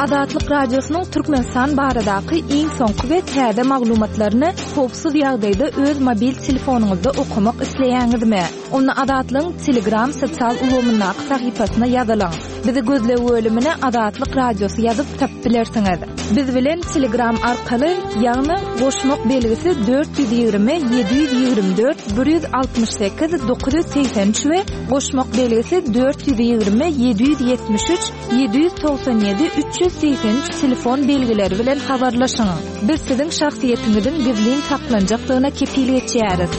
Azatlyk Radiosynyň Türkmenistan baradaky iň soňky we täze maglumatlaryny howpsuz ýagdaýda öz mobil telefonyňyzda okamak isleýäňizmi? Onda Azatlygyň Telegram sosial ulgamyndaky sahypasyna ýazylyň. Bizi gözleg bölümine Azatlyk Radiosy ýazyp tapyp bilersiňiz. Biz bilen Telegram arkaly, ýagny goşmak belgisi 420 724 168 983 we goşmak belgisi 420 773 797 383 telefon belgileri bilen habarlaşyň. Biz siziň şahsyýetiňiziň gizlin saklanjakdygyna kepil geçýäris.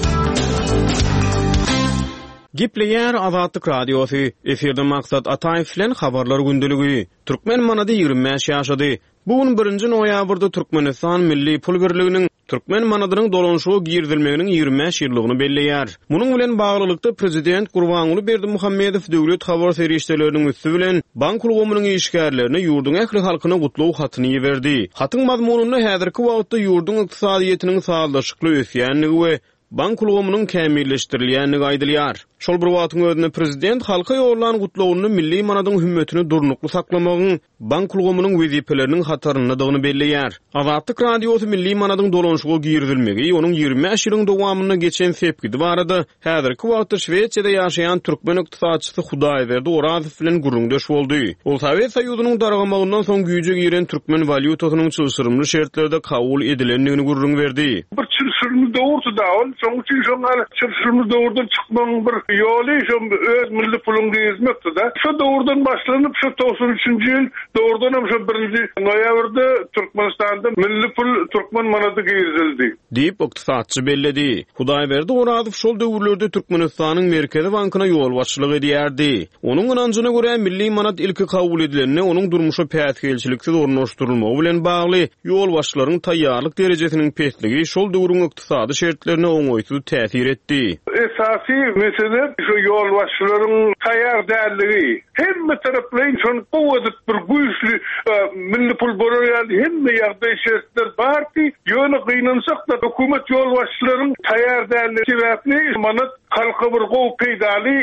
Gepleýär Azatlyk Radiosy, Efirde Maksat Ataýew bilen Habarlar gündeligi. Türkmen manady 25 ýaşady. Bu gün birinji noýabrda Türkmenistan milli pul birliginiň türkmen manadynyň dolanyşyga girizilmeginiň 25 ýyllygyny belleýär. Munuň bilen baglylykda, prezident Gurbanguly Berdimuhamedow döwlet habar serişdeleriniň üsti bilen bank ulgamynyň işgärlerine, ýurduň ähli halkyna gutlag hatyny iberdi. Hatyň mazmunynda häzirki wagtda ýurduň ykdysadyýetiniň sazlaşykly ösýändigi we bank ulgamynyň kämilleşdirilýändigi aýdylýar. Şol bir wagtyň özünde prezident halka ýollan gutlagynda milli manadyň hümmetini durnukly saklamagyň bank ulgamynyň wezipeleriniň hataryndadygyny belleýär. Azatlyk Radiosy milli manadyň dolanyşyga girizilmegi, onuň 25 ýylyň dowamynda geçen sepgidi barada häzirki wagtda Şwesiýada ýaşaýan türkmen ykdysatçysy Hudaýberdi Orazow bilen gürrüňdeş boldy. Ol Sowet Soýuzynyň dargamagyndan soň güýje giren türkmen walýutasynyň çylşyrymly şertlerde kabul edilendigini gürrüň berdi. Bir çylşyrymly döwürdi-dä ol. Şonuň üçin şoň ýaly çylşyrymly döwürden çykmagyň bir ýoly şo öz milli puluňy girizmekdi-dä. Şo döwürden başlanyp şo 93-nji ýyl dogrudanam şo birinji noýabrda Türkmenistanda milli pul türkmen manady girizildi. Diýip, ykdysatçy belledi. Hudaýberdi Orazow şol döwürlerde Türkmenistanyň Merkezi bankyna ýolbaşçylyk edýärdi. Onuň ynanjyna görä, milli manat ilki kabul edilende onuň durmuşa päsgelçiliksiz ornaşdyrylmagy bilen bagly ýolbaşçylaryň taýýarlyk derejesiniň pesligi şol döwrüň ykdysady şertlerine oňaýsyz täsir etdi. Esasy mesele şu ýolbaşçylaryň taýýar dälligi. Hemme taraplaýyn şony gowy edip bir güýçli milli pul bolar ýaly hemme ýagdaý şertler bardy. Ýöne gynansak-da hökümet ýolbaşçylaryň taýýar dälligi sebäpli manat halka bir gowy peýdaly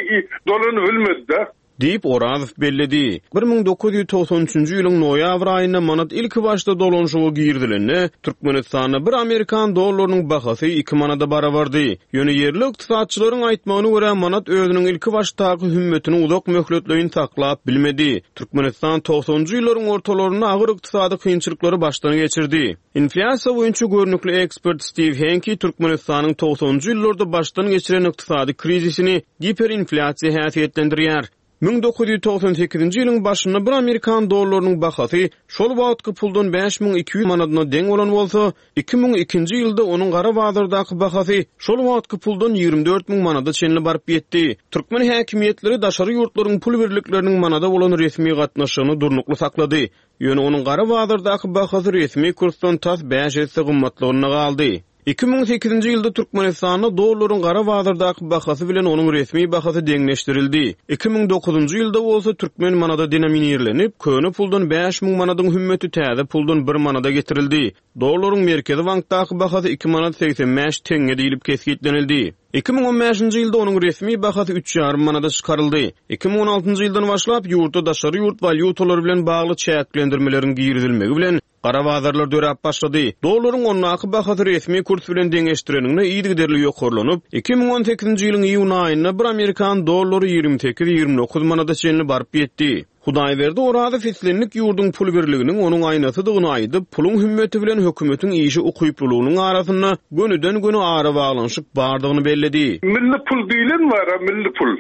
dolanybilmedi-de. Diýip, Orazow belledi. 1993-nji ýylyň noýabr aýynda manat ilkibaşda dolanyşyga girizilende, Türkmenistanda bir amerikan dollarynyň bahasy iki manada barabardy. Ýöne ýerli ykdysatçylaryň aýtmagyna görä, manat özüniň ilkibaşdaky hümmetini uzak möhletleýin saklap bilmedi. Türkmenistan togsanynjy ýyllaryň ortalarynda agyr ykdysady kynçylyklary başdan geçirdi. Inflýasiýa boýunça görnükli ekspert Stiw Henki Türkmenistanyň togsanynjy ýyllarda başdan geçiren ykdysady krizisini giperinflýasiýa häsiýetlendirýär. 1998-nji ýylyň başynda bir amerikan dollarynyň bahasy şol wagtky puldan 5200 manadyna deň bolan bolsa, 2002-nji ýylda onuň gara bazardaky bahasy şol wagtky puldan 24 müň manada çenli baryp ýetdi. Türkmen häkimiýetleri daşary ýurtlaryň pul birlikleriniň manada bolan resmi gatnaşygyny durnukly saklady. Ýöne onuň gara bazardaky bahasy resmi kursdan tas bäş esse gymmatlygynda galdy. 2008-nji ýylda Türkmenistanda dollaryň gara bazardaky bahasy bilen onuň resmi bahasy deňleşdirildi. 2009-njy ýylda bolsa türkmen manady denominirlenip, köne puldan 5000 manadyň hümmeti täze puldan bir manada getirildi. Dollaryň Merkezi bankdaky bahasy iki manat 85 teňňe diýlip kesgitlenildi. 2015-nji ýylda onuň resmi bahasy üç ýarym manada çykaryldy. 2016-njy ýyldan başlap, ýurtda daşary ýurt walýutalary bilen bagly çäklendirmeleriň girizilmegi bilen, gara bazarlar döräp başlady. Dollaryň ondaky bahasy resmi kurs bilen deňeşdireniňde yzygiderli ýokarlanyp, 2018-nji ýylyň iýun aýynda bir amerikan dollary 28-29 manada çenli baryp ýetdi. Hudaýberdi Orazow islendik ýurduň pul birliginiň onuň aýnasydygyny aýdyp, puluň hümmeti bilen hökümetiň işe ukyplylygynyň arasynda gönüden-göni arabaglanyşyk bardygyny belledi. Milli pul diýlen bar-a, milli pul.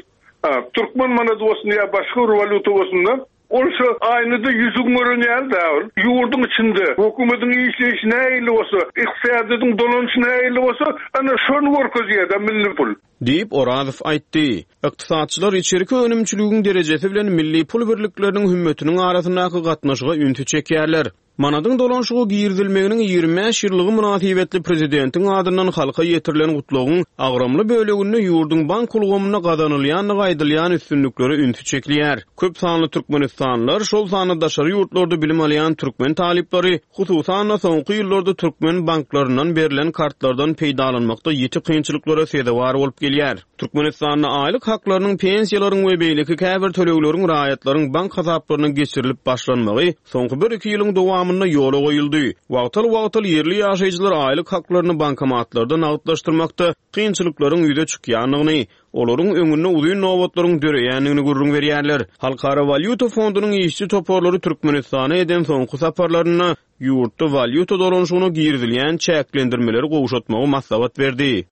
Ha, türkmen manady bolsun ýa başga bir walýuta bolsun-da, ol şo aýnada ýüzüň gören ýaly-da ol. Ýurduň içinde hökümetiň işleýşi nähili bolsa, ykdysadyýetiň dolanyşy nähili bolsa, ana şony görkezýär-de milli pul. Diýip, Orazow aýtdy. Ykdysatçylar içerki önümçiligiň derejesi bilen milli pul birlikleriniň hümmetiniň arasyndaky gatnaşyga ünsi çekýärler. Manadyň dolanyşyga girizilmeginiň 25 ýyllygy mynasybetli prezidentiň adyndan halka ýetirilen gutlagyň agramly böleginde ýurduň bank ulgamynda gazanylýandygy aýdylýan üstünliklere ünsi çekilýär. Köp sanly türkmenistanlylar, şol sanda daşary ýurtlarda bilim alýan türkmen talyplary, hususan-da, soňky ýyllarda türkmen banklaryndan berlen kartlardan peýdalanmakda ýiti kynçylyklara sezewar bolup gelýär. Türkmenistanda aýlyk haklarynyň, pensiýalaryň we beýleki käbir tölegleriň raýatlaryň bank hasaplaryna geçirilip başlanmagy soňky bir-iki ýylyň dowamynda ýola goýuldy. Wagtal-wagtal ýerli ýaşaýjylar aýlyk haklaryny bankomatlarda nagtlaşdyrmakda kynçylyklaryň ýüze çykýandygyny, olaryň öňünde uzyn nobatlaryň döreýändigini gürrüň berýärler. Halkara walýuta fondunyň işçi toparlary Türkmenistana eden soňky saparlarynda ýurtda walýuta dolanyşygyna girizilýän çäklendirmeleri gowşatmagy maslahat berdi.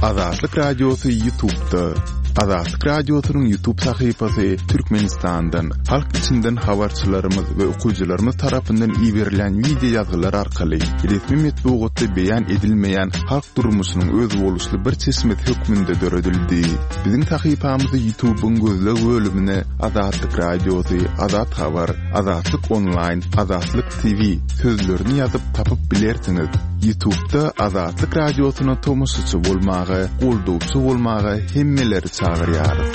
Azatlyk Radiosy YouTube'da. Azatlyk Radiosynyň YouTube sahypasy Türkmenistandan, halk içinden habarçylarymyz we okyjylarymyz tarapyndan iberilen wideo ýazgylar arkaly resmi metbugatda beýan edilmeýän halk durmuşynyň özboluşly bir çeşmesi hökmünde döredildi. Biziň sahypamyzy YouTube'yň gözleg bölümine Azatlyk Radiosy, Azat Habar, Azatlyk Onlaýn, Azatlyk TV sözlerini ýazyp tapyp bilersiňiz. Ýutubda Azatlyk Radiosyna tomaşaçy bolmaga, goldawçy bolmaga hemmeleri çagyrýarys.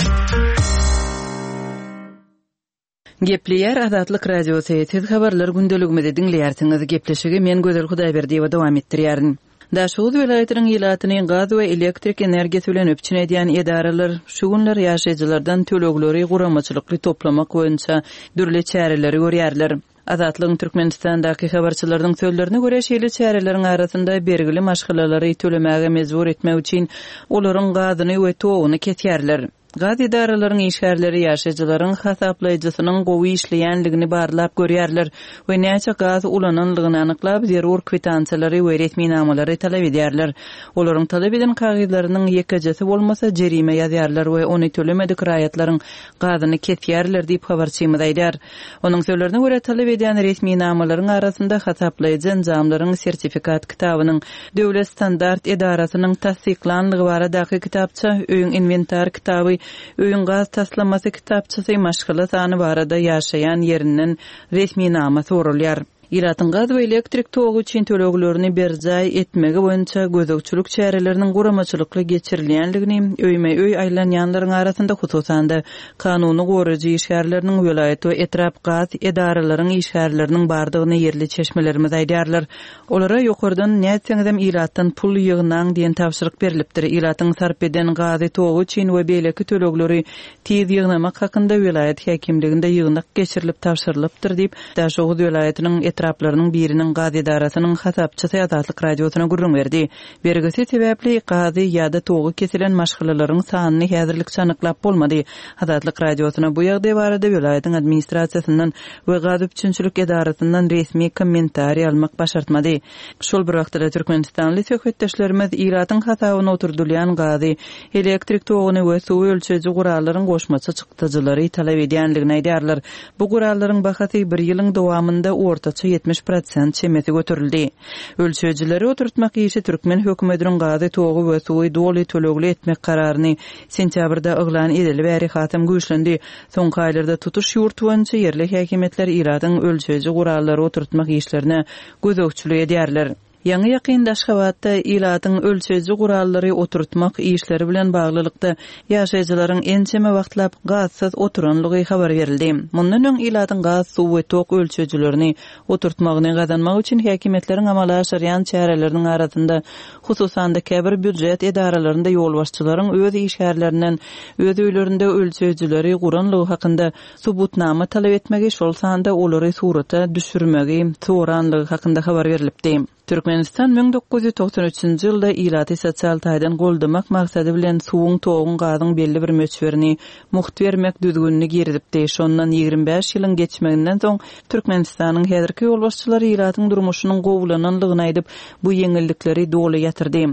Gepleýär Azatlyk Radiosy, Siz habarlar gündeligimizi diňleýärsiňiz. Gepleşigi men Gözel Hudaýberdiýewa dowam etdirýärin. Daşoguz welaýatynyň ilatyny gaz we elektrik energiýasy bilen üpjün edýän edaralar şu günler ýaşaýjylardan tölegleri guramaçylykly toplamak boýunça dürli çäreleri görýärler. Azatlygyň Türkmenistandaky habarçylarynyň sözlerine görä, şeýle çäreleriň arasynda bergili maşgalalary tölemäge mejbur etmek üçin olaryň gazyny we toguny kesýärler. Gaz edaralaryň işgärleri ýaşaýjylaryň hasaplaýjysynyň gowy işleýänligini barlap görýärler we näçe gaz ulananlygyny anyklap, zerur kwitansiýalary we resminamalary talap edýärler. Olaryň talap eden kagyzlarynyň ýekejesi bolmasa, jerime ýazýarlar we ony tölemedik raýatlaryň gazyny kesýärler diýip, habarçymyz aýdýar. Onuň sözlerine görä, talap edýän resminamalaryň arasynda hasaplaýjy enjamlaryň sertifikat kitabynyň, Döwlet standart edarasynyň tassyklanlygy baradaky kitapça, öýüň inwentar kitaby, öýüň gaz taslamasy kitapçasy, maşgala sany barada ýaşaýan ýerinden resminama soralýar. Ilatyň gaz we elektrik togy üçin töleglerini berjaý etmegi boýunça gözegçilik çäreleriniň guramaçylykly geçirilýänligini öýme-öý aýlanýanlaryň arasynda, hususan-da, kanuny goraýjy işgärleriniň, welaýat we etrap gaz edaralaryň işgärleriniň bardygyny ýerli çeşmelerimiz aýdýarlar. Olara ýokardan nätseňizem ilatdan pul ýygnaň diýen tabşyryk berlipdir. Ilatyň sarp eden gazy, togy üçin we beýleki tölegleri tiz ýygnamak hakynda welaýat häkimliginde ýygnak geçirilip tabşyrylypdyr diýip, Daşoguz welaýatynyň etraplarynyň biriniň gaz edarasynyň hasapçysy Azatlyk Radiosyna gürrüň berdi. Bergisi sebäpli gazy ýa-da togy kesilen maşgalalaryň sanyny häzirlikçe anyklap bolmady. Azatlyk Radiosyna bu ýagdaý barada welaýatyň administrasiýasyndan we gaz üpjünçilik edarasyndan resmi kommentariý almak başartmady. Şol bir wagtda-da türkmenistanly söhbetdeşlerimiz ilatyň hasabyna oturdylýan gazy, elektrik toguny we suwy ölçeýji gurallaryň goşmaça çykdajylary talap edýändigini aýdýarlar. Bu gurallaryň bahasy bir ýylyň dowamynda ortaça 70 prosent çemesi göterildi. Ölçeýjileri oturtmak işi türkmen hökümetiniň gazy, togy we suwy doly tölegli etmek kararyny sentýabrda yglan edeli bäri hasam güýçlendi. Soňky aýlarda tutuş ýurt boýunça ýerli häkimiýetler ilatyň ölçeýji gurallary oturtmak işlerine gözegçilik edýärler. Ýaňy-ýakynda Aşgabatda ilatyň ölçeýji gurallary oturtmak işleri bilen baglylykda, ýaşaýjylaryň ençeme wagtlap gazsyz oturanlygy habar berildi. Mundan öň ilatyň gaz, suw we tok ölçeýjilerini oturtmagyny gazanmak üçin häkimiýetleriň amala aşyrýan çäreleriniň arasynda, hususan-da, käbir býujet edaralarynda ýolbaşçylaryň öz işgärlerinden öz öýlerinde ölçeýjileri guranlygy hakynda subutnama talap etmegi, şol sanda olary surata düşürmegi soranlygy hakynda habar berlipdi. Türkmenistan 1993-nji ýylda ilaty sosial taýdan goldamak maksady bilen suwuň, toguň, gazyň belli bir möçberini mugt bermek düzgünini girizipdi. Şondan 25 ýylyň geçmeginden soň Türkmenistanyň häzirki ýolbaşçylary ilatyň durmuşynyň gowulananlygyny aýdyp, bu ýeňillikleri doly ýatyrdy.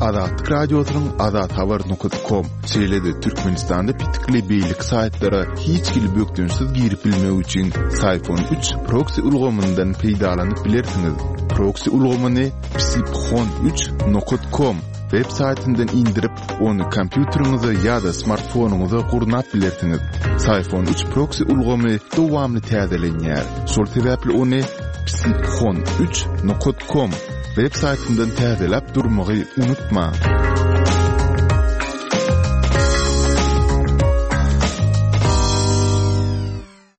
Azatlyk Radiosynyň azathabar nokat kom, şeýle-de Türkmenistanda petikli beýleki saýtlara hiç hili bökdençsiz girip bilmek üçin Syphon 3 proksi ulgamyndan peýdalanyp bilersiňiz. Proksi ulgamyny psiphon 3 nokat kom. web saýtyndan indirip, ony kompýuteriňize ýa-da smartfonyňyza gurnap bilersiňiz. Syfon 3 proksi ulgamy dowamly täzelenýär. Şol sebäpli ony psiphon 3 nokat com web saýtyndan täzeläp durmagy unutmaň.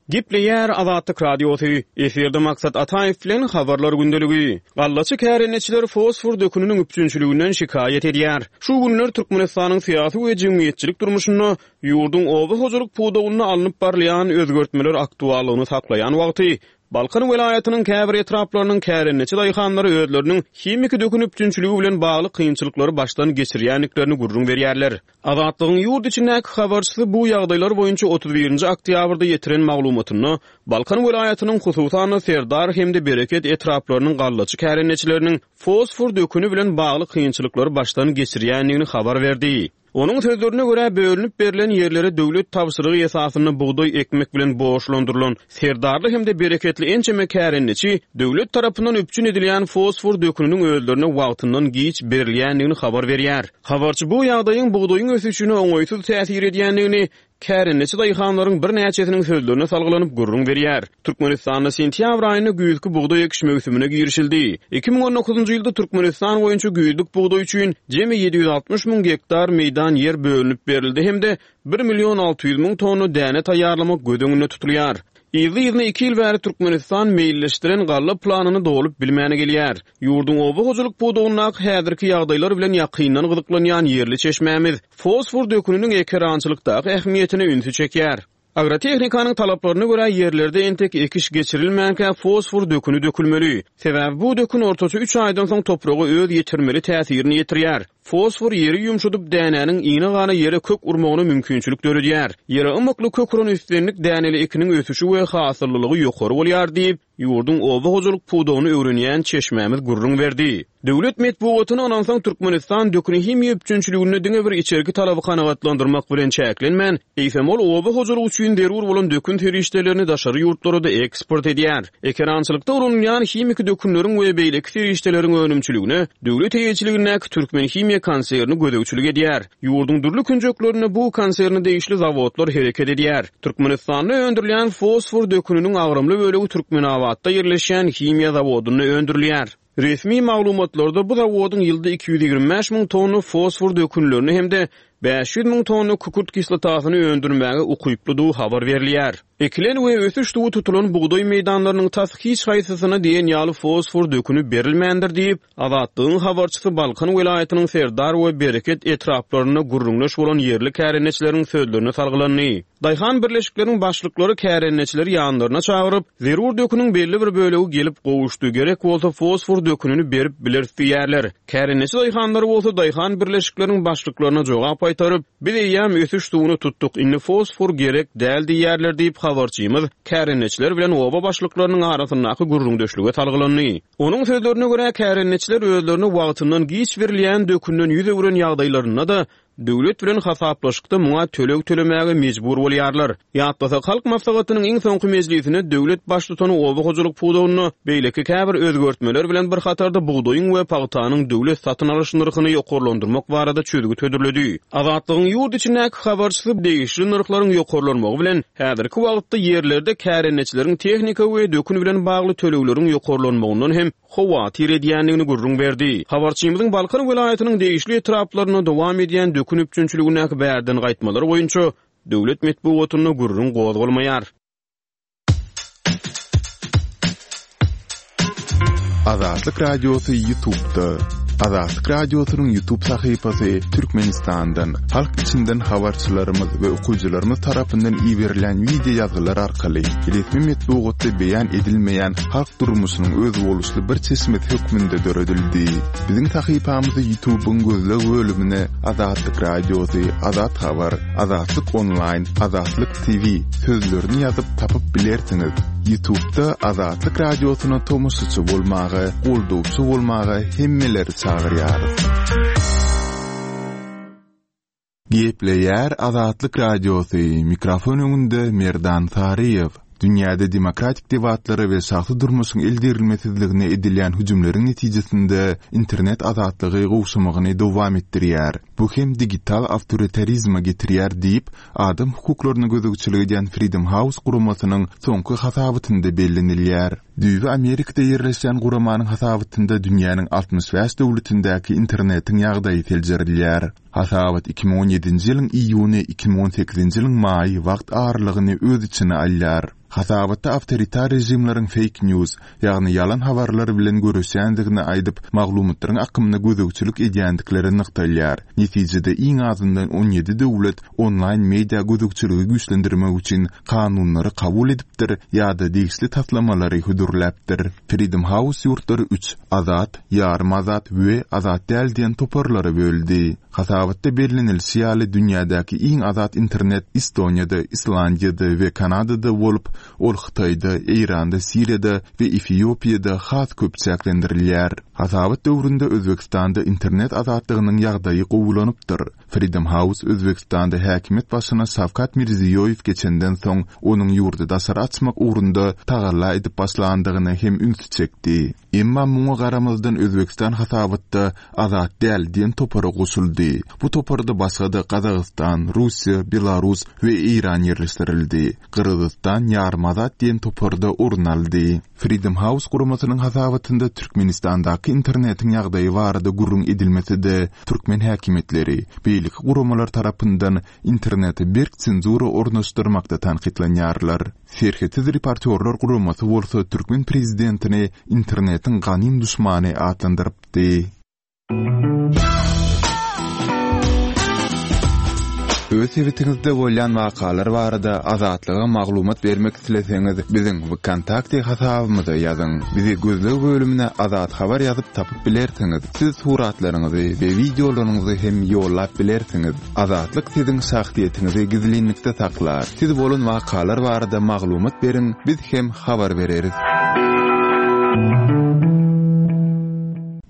Gepleýär Azatlyk Radiosy, Efirde Maksat Ataýew bilen Habarlar gündeligi. Gallaçy kärendeçiler fosfor döküniniň üpjünçiliginden şikaýat edýär. Şu günler Türkmenistanyň syýasy we jemgyýetçilik durmuşynda ýurduň oba hojalyk pudagynda alnyp barylýan özgertmeler aktuallygyny saklaýan wagty, Balkan welaýatynyň käbir etraplarynyň kärendeçi daýhanlary özleriniň himiki dökün üpjünçiligi bilen bagly kynçylyklary başdan geçirýändiklerini gürrüň berýärler. Azatlygyň ýurt içindäki habarçysy bu ýagdaýlar boýunça 31-nji oktýabrda ýetiren maglumatynda, Balkan welaýatynyň, hususan-da, Serdar hem-de Bereket etraplarynyň gallaçy kärendeçileriniň fosfor döküni bilen bagly kynçylyklary başdan geçirýändigini habar berdi. Onuň sözlerine görä, bölünip berlen ýerlere döwlet tabşyrygy esasynda bugdaý ekmek bilen borçlandyrylan Serdarly hem-de Bereketli ençeme kärendeçi döwlet tarapyndan üpjün edilýän fosfor döküniniň özlerine wagtyndan giç berilýändigini habar berýär. Habarçy bu ýagdaýyň bugdaýyň ösüşine oňaýsyz täsir edýändigini kärendeçi daýhanlaryň birnäçesiniň sözlerine salgylanyp gürrüň berýär. Türkmenistanda sentýabr aýynda güýzki bugdaý ekiş möwsümine girişildi. 2019-njy ýylda Türkmenistan boýunça güýzlük bugdaý üçin jemi 760 müň gektar meýdan ýer bölünip berildi hem-de bir million 600 müň tonna däne taýýarlamak göz öňünde tutulýar. Yzly-yzyna iki ýyl bäri Türkmenistan meýilleşdiren galla planyny dolup bilmän gelýär. Ýurduň oba hojalyk pudagyndaky häzirki ýagdaýlar bilen ýakyndan gyzyklanýan ýerli çeşmämiz fosfor döküniniň ekerançylykdaky ähmiýetine ünsi çekýär. Agrotehnikanyň talaplaryna görä, ýerlerde entek ekiş geçirilmänkä fosfor döküni dökülmeli. Sebäbi bu dökün ortaça üç aýdan soň topraga öz ýetirmeli täsirini ýetirýär. Fosfor ýeri ýumşadyp, dänäniň ine-gana ýere kök urmagyna mümkinçilik döredýär. Ýere ymykly kök uran islendik däneli ekiniň ösüşi we hasyllylygy ýokary bolýar diýip, Ýurduň oba hojalyk pudagyny öwrenýän çeşmämiz gürrüň berdi. Döwlet metbugatyna ynansaň, Türkmenistan dökün-himiýa üpjünçiliginde diňe bir içerki talaby kanagatlandyrmak bilen çäklenmän, eýsem ol oba hojalygy üçin zerur bolan dökün serişdelerini daşary ýurtlara-da eksport edýär. Ekerançylykda ulanylýan himiki dökünleriň we beýleki serişdeleriň önümçiligine döwlet eýeçiligindäki Türkmenhimiýa konserni gözegçilik edýär. Ýurduň dürli künjeklerinde bu konserne degişli zawodlar hereket edýär. Türkmenistanda öndürilýän fosfor döküniniň agramly bölegi Türkmenabatda ýerleşýän himiýa zawodynda öndürilýär. Resmi maglumatlarda bu zawodyň ýylda 225 müň tonna fosfor dökünlerini hem-de 500 müň tonna kükürt kislotasyny öndürmäge ukyplydygy habar berilýär. Ekilen we ösüş suwy tutulan bugdaý meýdanlarynyň tas hiç haýsysyna diýen ýaly fosfor döküni berilmändir diýip, Azatlygyň habarçysy Balkan welaýatynyň Serdar we Bereket etraplarynda gürrüňdeş bolan ýerli kärendeçileriň sözlerine salgylandy. Daýhan birleşikleriň başlyklary kärendeçileri ýanlaryna çagyryp, zerur döküniň belli bir bölegi gelip gowuşdy, gerek bolsa fosfor dökünini berip bileris diýýärler. Kärendeçi daýhanlary bolsa daýhan birleşikleriň başlyklaryna jogap gaýtaryp, biz eýýäm ösüş suwuny tutduk, indi fosfor gerek däl diýýärler diýip, habarçymyz kärendeçiler bilen oba başlyklarynyň arasyndaky gürrüňdeşlige salgylandy. Onuň sözlerine görä, kärendeçiler özlerine wagtyndan giç berilýän dökünden ýüz öwren ýagdaýlarynda-da, döwlet bilen hasaplaşykda muňa töleg tölemäge mejbur bolýarlar. Ýatlasak, Halk Maslahatynyň iň soňky mejlisinde döwlet Baştutany oba hojalyk pudagynda beýleki käbir özgertmeler bilen bir hatarda bugdaýyň we pagtanyň döwlet satyn alyş nyrhyny ýokarlandyrmak barada çözgüt hödürledi. Azatlygyň ýurt içindäki habarçysy degişli nyrhlaryň ýokarlanmagy bilen, Häzirki wagtda ýerlerde kärendeçileriň tehnika we dökün bilen bagly tölegleriň ýokarlanmagyndan hem howatyr edýändigini gürrüň berdi. Habarçymyzyň Balkan welaýatynyň degişli etraplarynda dowam edýän dökün üpjünçiligindäki bärden gaýtmalar boýunça döwlet metbugatynda gürrüň gozgalmaýar. Azatlyk Radiosy Ýutubda. Azatlyk Radiosynyň Ýutub sahypasy Türkmenistandan, halk içinden habarçylarymyz we okyjylarymyz tarapyndan iberilen wideo ýazgylar arkaly resmi metbugatda beýan edilmeýän halk durmuşynyň özboluşly bir çeşmesi hökmünde döredildi. Biziň sahypamyzy Ýutubyň gözleg bölümine Azatlyk Radiosy, Azat Habar, Azatlyk Onlaýn, Azatlyk TV sözlerini ýazyp tapyp bilersiňiz. Ýutubda Azatlyk Radiosyna tomaşaçy bolmaga, goldawçy bolmaga hemmeleri çagyrýarys. Gepleýär Azatlyk Radiosy, mikrofon öňünde Merdan Saryýew. Dünýäde demokratik debatlara we şahsy durmuşyň eldegrilmesizligine edilýän hüjümleriň netijesinde internet azatlygy gowşamagyny dowam etdirýär. Bu hem digital awtoritarizme getirýär diýip, adam hukuklaryna gözegçilik edýän Freedom House guramasynyň soňky hasabatynda bellenilýär. Düýbi Amerikada ýerleşýän guramanyň hasabatynda dünýäniň 65 döwletindäki internetiň ýagdaýy seljerilýär. Hasabat 2017-nji ýylyň iýuny, 2018-nji ýylyň maýy wagt aralygyny öz içine alýar. Hasabatda awtoritar režimleriň fake news, ýagny ýalan habarlar bilen göreşýändigini aýdyp, maglumatlaryň akymyna gözegçilik edýändikleri nygtalýar. Netijede iň azyndan 17 döwlet onlaýn media gözegçiligi güýçlendirmek üçin kanunlary kabul edipdir ýa-da degişli taslamalary hödürläpdir. Freedom House ýurtlary üç, azat, ýarym azat we azat däl diýen toparlara böldi. Hasabatda bellenilişi ýaly, dünýädäki iň azat internet Estoniýada, Islandiýada we Kanadada bolup, ol Hytaýda, Eýranda, Siriýada we Efiopiýada has köp çäklendirilýär. Hasabat döwründe Özbegistanda internet azatlygynyň ýagdaýy gowulanypdyr. Freedom House Özbegistanda häkimiýet başyna Şawkat Mirziýoýew geçenden soň, onuň ýurdy daşary açmak ugrunda tagalla edip başlandygyna hem ünsi çekdi. Emma muňa garamazdan Özbegistan hasabatda azat däl diýen topara goşuldy. Bu toparda başga-da Gazagystan, Russiýa, Belarus we Eýran ýerleşdirildi. Gyrgyzystan ýarym azat diýen toparda orun aldy. Freedom House guramasynyň hasabatynda Türkmenistandaky internetiň ýagdaýy barada gürrüň edilmese-de, türkmen häkimiýetleri, beýleki guramalar tarapyndan internete berk senzura ornaşdyrmakda tankytlanýarlar. Serhetsiz reportýorlar guramasy bolsa türkmen prezidentini internetiň ganym duşmany atlandyrypdy. Öz sebitiňizde bolýan wakalar barada Azatlyga maglumat bermek isleseňiz, biziň WKontakte hasabymyza ýazyň. Bizi gözleg bölümine Azat Habar ýazyp tapyp bilersiňiz. Siz suratlaryňyzy we wideolaryňyzy hem ýollap bilersiňiz. Azatlyk siziň şahsyýetiňizi gizlinlikde saklar. Siz bolan wakalar barada maglumat beriň, biz hem habar bereris.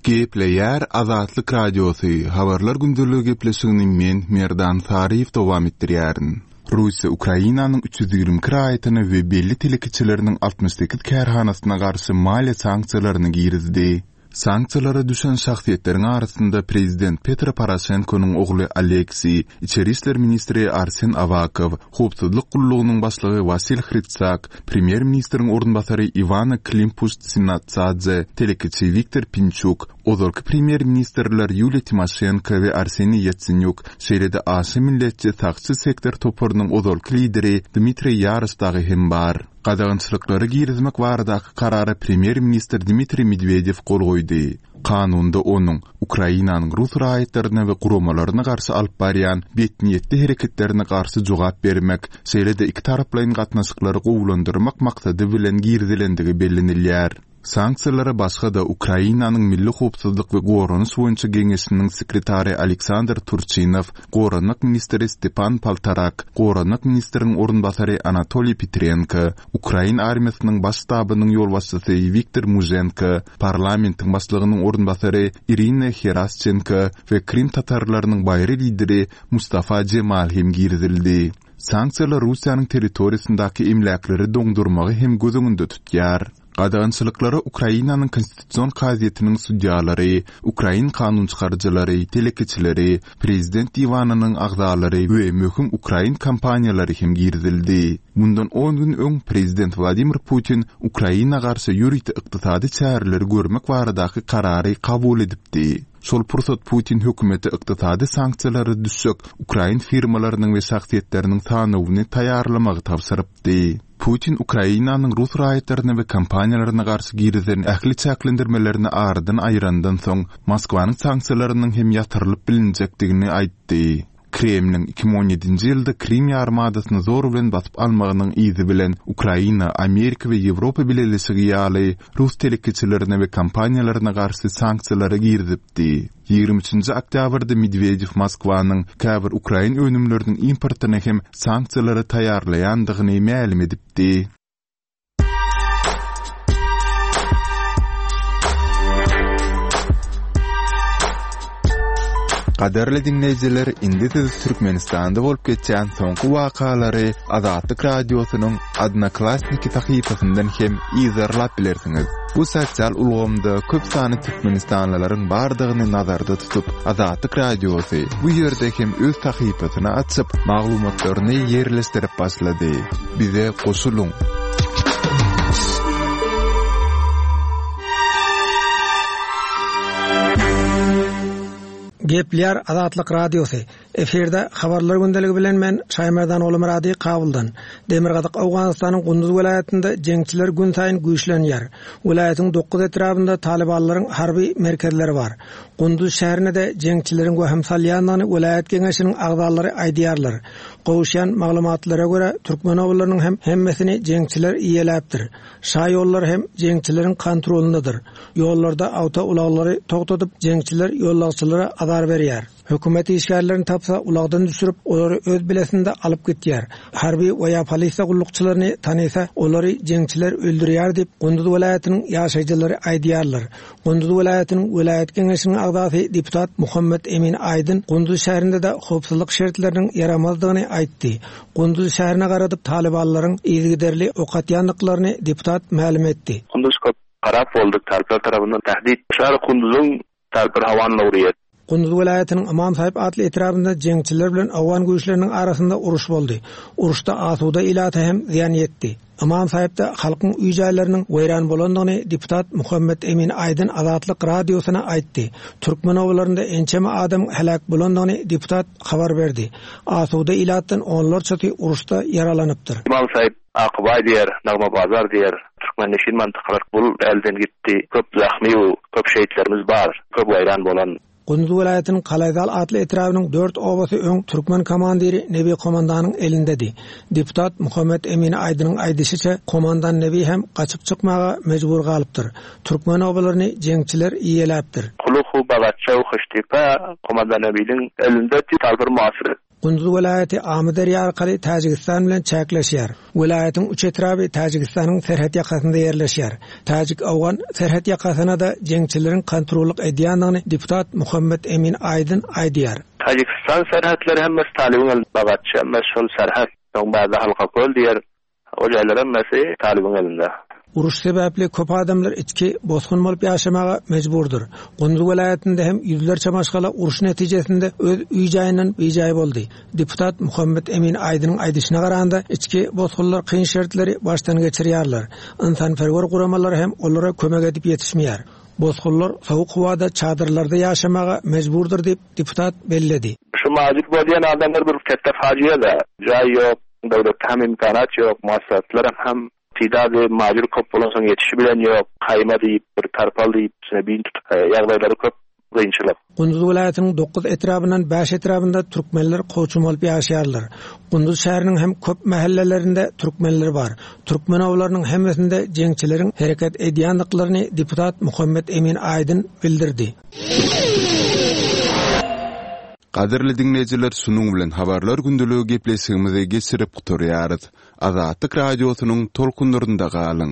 Gepleýär Azatlyk Radiosy, Habarlar gündeligi gepleşigini men, Merdan Saryýew dowam etdirýärin. Russiýa Ukrainanyň 322 raýatyna we belli telekeçileriniň 68 kärhanasyna garşy maliýe sanksiýalaryny girizdi. Sanksiýalara düşen şahsyýetleriň arasynda prezident Petro Poroşenkonyň ogly Oleksiý, içeri işler ministri Arsen Awakow, howpsuzlyk gullugynyň başlygy Wasil Hrytsak, premýer-ministriň orunbasary Iwana Klimpuş-Tsinatsadze, telekeçi Wiktor Pinçuk, ozalky premýer-ministrler Ýuliýa Timoşenko we Arseniý Ýatsenýuk, şeýle-de aşa milletçi Sagçy sektor toparynyň ozalky lideri Dmitriý Ýaroş dagy hem bar. Gadagançylyklary girizmek baradaky karara premýer-ministr Dmitriý Medwedew gol goýdy. Kanunda onuň Ukrainanyň rus raýatlaryna we guramalaryna garşy alyp barýan betniýetli hereketlerine garşy jogap bermek, şeýle-de ikitaraplaýyn gatnaşyklary gowulandyrmak maksady bilen girizilendigi bellenilýär. Sanksiýalara başga-da Ukrainanyň Milli howpsuzlyk we goranyş boýunça geňeşiniň sekretary Aleksandr Turçinow, goranmak ministri Stepan Poltorak, goranmak ministriniň orunbasary Anatoliý Petrenko, ukrain armiýasynyň baş ştabynyň ýolbaşçysy Wiktor Muženko, parlamentiň başlygynyň orunbasary Irina Herasçenko we krym tatarlarynyň baýry lideri Mustafa Jemal hem girizildi. Sanksiýalar Russiýanyň territoriýasyndaky emläkleri doňdurmagy hem göz öňünde tutýar. Gadagançylyklara Ukrainanyň Konstitusion kazyýetiniň sudýalary, ukrain kanunçykaryjylary, telekeçileri, prezident diwanynyň agzalary we möhüm ukrain kompaniýalary hem girizildi. Mundan on gün öň prezident Wladimir Putin Ukraina garşy ýörite ykdysady çäreleri görmek baradaky karary kabul edipdi. Şol pursat Putin hökümete ykdysady sanksiýalara düşjek ukrain firmalarynyň we şahsyýetleriniň sanawyny taýýarlamagy tabşyrypdy. Putin Ukrainanyň rus raýatlaryna we kompaniýalaryna garşy girizen ähli çäklendirmelerini aradan aýyrandan soň, Moskwanyň sanksiýalarynyň hem ýatyrylyp bilinjekdigini aýtdy. Kremliň 2017-nji ýylda Krym ýarymadasyny zor bilen basyp almagynyň yzy bilen Ukraina, Amerika we Ýewropa Bileleşigi ýaly rus telekeçilerine we kompaniýalaryna garşy sanksiýalary girizipdi. 23-nji oktýabrda Medwedew Moskwanyň käbir ukrain önümleriniň importyna hem sanksiýalary taýýarlaýandygyny mälim edipdi. Gadyrly diňleýjiler, indi siz Türkmenistanda bolup geçýän soňky wakalary Azatlyk Radiosynyň Odnoklassniki sahypasyndan hem yzarlap bilersiňiz. Bu sosial ulgamda köp sanly türkmenistanlylaryň bardygyny nazarda tutup, Azatlyk Radiosy bu ýerde hem öz sahypasyny açyp, maglumatlaryny ýerleşdirip başlady. Bize goşulyň! Gepleýär Azatlyk Radiosy. Efirde Habarlar gündeligi bilen men Şaýmerdan Ogulmyrady Kabuldan. Demirgazyk Owganystanyň Gunduz welaýatynda jeňçiler günsaýyn güýçlenýär. Welaýatyň dokuz etrabynda talybanlaryň harby merkezleri bar. Gunduz şäherine-de jeňçileriň wehim salýandygyny welaýat geňeşiniň agzalary aýdýarlar. Gowuşýan maglumatlara görä, türkmen obalarynyň hem hemmesini jeňçiler eýeläpdir. Şa ýollary hem jeňçileriň kontrolyndadyr. Ýollarda awtoulaglary togtadyp, jeňçiler ýollagçylara azar berýär. Hökümet işgärlerini tapsa, ulagdan düşürip, olary öz bilesinde alyp gitýär. Harby we ýa polisiýa gullukçylaryny tanysa, olary jeňçiler öldürýär diýip, Gunduz welaýatynyň ýaşaýjylary aýdýarlar. Gunduz welaýatynyň welaýat geňeşiniň agzasy deputat Muhammet Emin Aýdyn Gunduz şäherinde-de howpsuzlyk şertleriniň ýaramazdygyny aýtdy. Gunduz şäherine garadyp talybanlaryň yzygiderli ok atýandyklaryny deputat mälim etdi. Kunduz köp harap boldy talyplar tarapyndan tähdit. Şar Kunduzyň talyplar hawan lowriýet. Gunduz welaýatynyň Ymam Sahyp atly etrabynda jeňçiler bilen owgan güýçleriniň arasynda uruş boldy. Uruşda asuda ilata hem zyýan ýetdi. Ymam Sahypda halkyň öý-jaýlarynyň weýran bolandygyny deputat Muhammet Emin Aýdyn Azatlyk Radiosyna aýtdy. Türkmen obalarynda ençeme adamyň heläk bolandygyny deputat habar berdi. Asuda ilatdan onlarçasy uruşda ýaralanypdyr. Ymam Sahyp Akbaý diýer, Nagma bazar diýer, Türkmenneşin mantykalar bul elden gitdi, köp zahmy u köp şehitlerimiz bar, köp weýran bolan. Gunduz welaýatynyň Kalaýzal atly etrabynyň dört obasy öň türkmen komandiri Nebi komandanyň elindedi. Deputat Muhammet Emin Aýdynyň aýdyşyça, komandan Nebi hem gaçyp çykmaga mejbur galypdyr. Türkmen obalaryny jeňçiler eýeläpdir. Kuluhu, Bagatça u Hyştypa komandan Nebiniň elinde bir muasyr. Gunduz welaýaty Amyderýa arkaly Täjigistan bilen çäkleşýär. Welaýatyň üç etraby Täjigistanyň serhet ýakasynda ýerleşýär. Täjik-owgan serhet ýakasyna-da jeňçileriň kontrollyk edýändigini deputat Muhammet Emin Aýdyn aýdýar. Täjigistan serhetleri hemmesi talybyň elinde bagatçy hemmesi şol serhet soň bärde Halkaköl diýer Ol ýerler hemmesi talybyň elinde. Uruş sebäpli köp adamlar içki bosgun bolup ýaşamaga mejburdyr. Gunduz welaýatynda hem ýüzlerçe maşgala uruş netijesinde öz öý-jaýyndan bijaý boldy. Deputat Muhammet Emin Aýdynyň aýdyşyna garanda, içki bosgunlar kyn şertleri başdan geçirýärler. Ynsanperwer guramalar hem olara kömek edip ýetişmeýär. Bosgunlar sowuk howada çadyrlarda ýaşamaga mejburdyr diýip, deputat belledi. Şu majur bolýan adamlar bir ketde fajyada. Jaý ýok, döwletde hem imkanat ýok, maslahatlaram hem tidady majur köp bolansoň ýetişibilen ýok, haýma diýip, bir tarpal diýip, üstüne bin tutup, ýagdaýlary köp kynçylyk. Gunduz welaýatynyň dokuz etrabyndan bäş etrabynda türkmenler kowçum bolup ýaşaýarlar. Gunduz şäheriniň hem köp mähellelerinde türkmenler bar. Türkmen obalarynyň hemmesinde jeňçileriň hereket edýändiklaryny deputat Muhammet Emin Aýdyn bildirdi. Gadyrly diňleýjiler şunuň bilen Habarlar gündeligi gepleşigimizi geçirip gutarýarys. Azatlyk Radiosynyň tolkunlarynda galyň!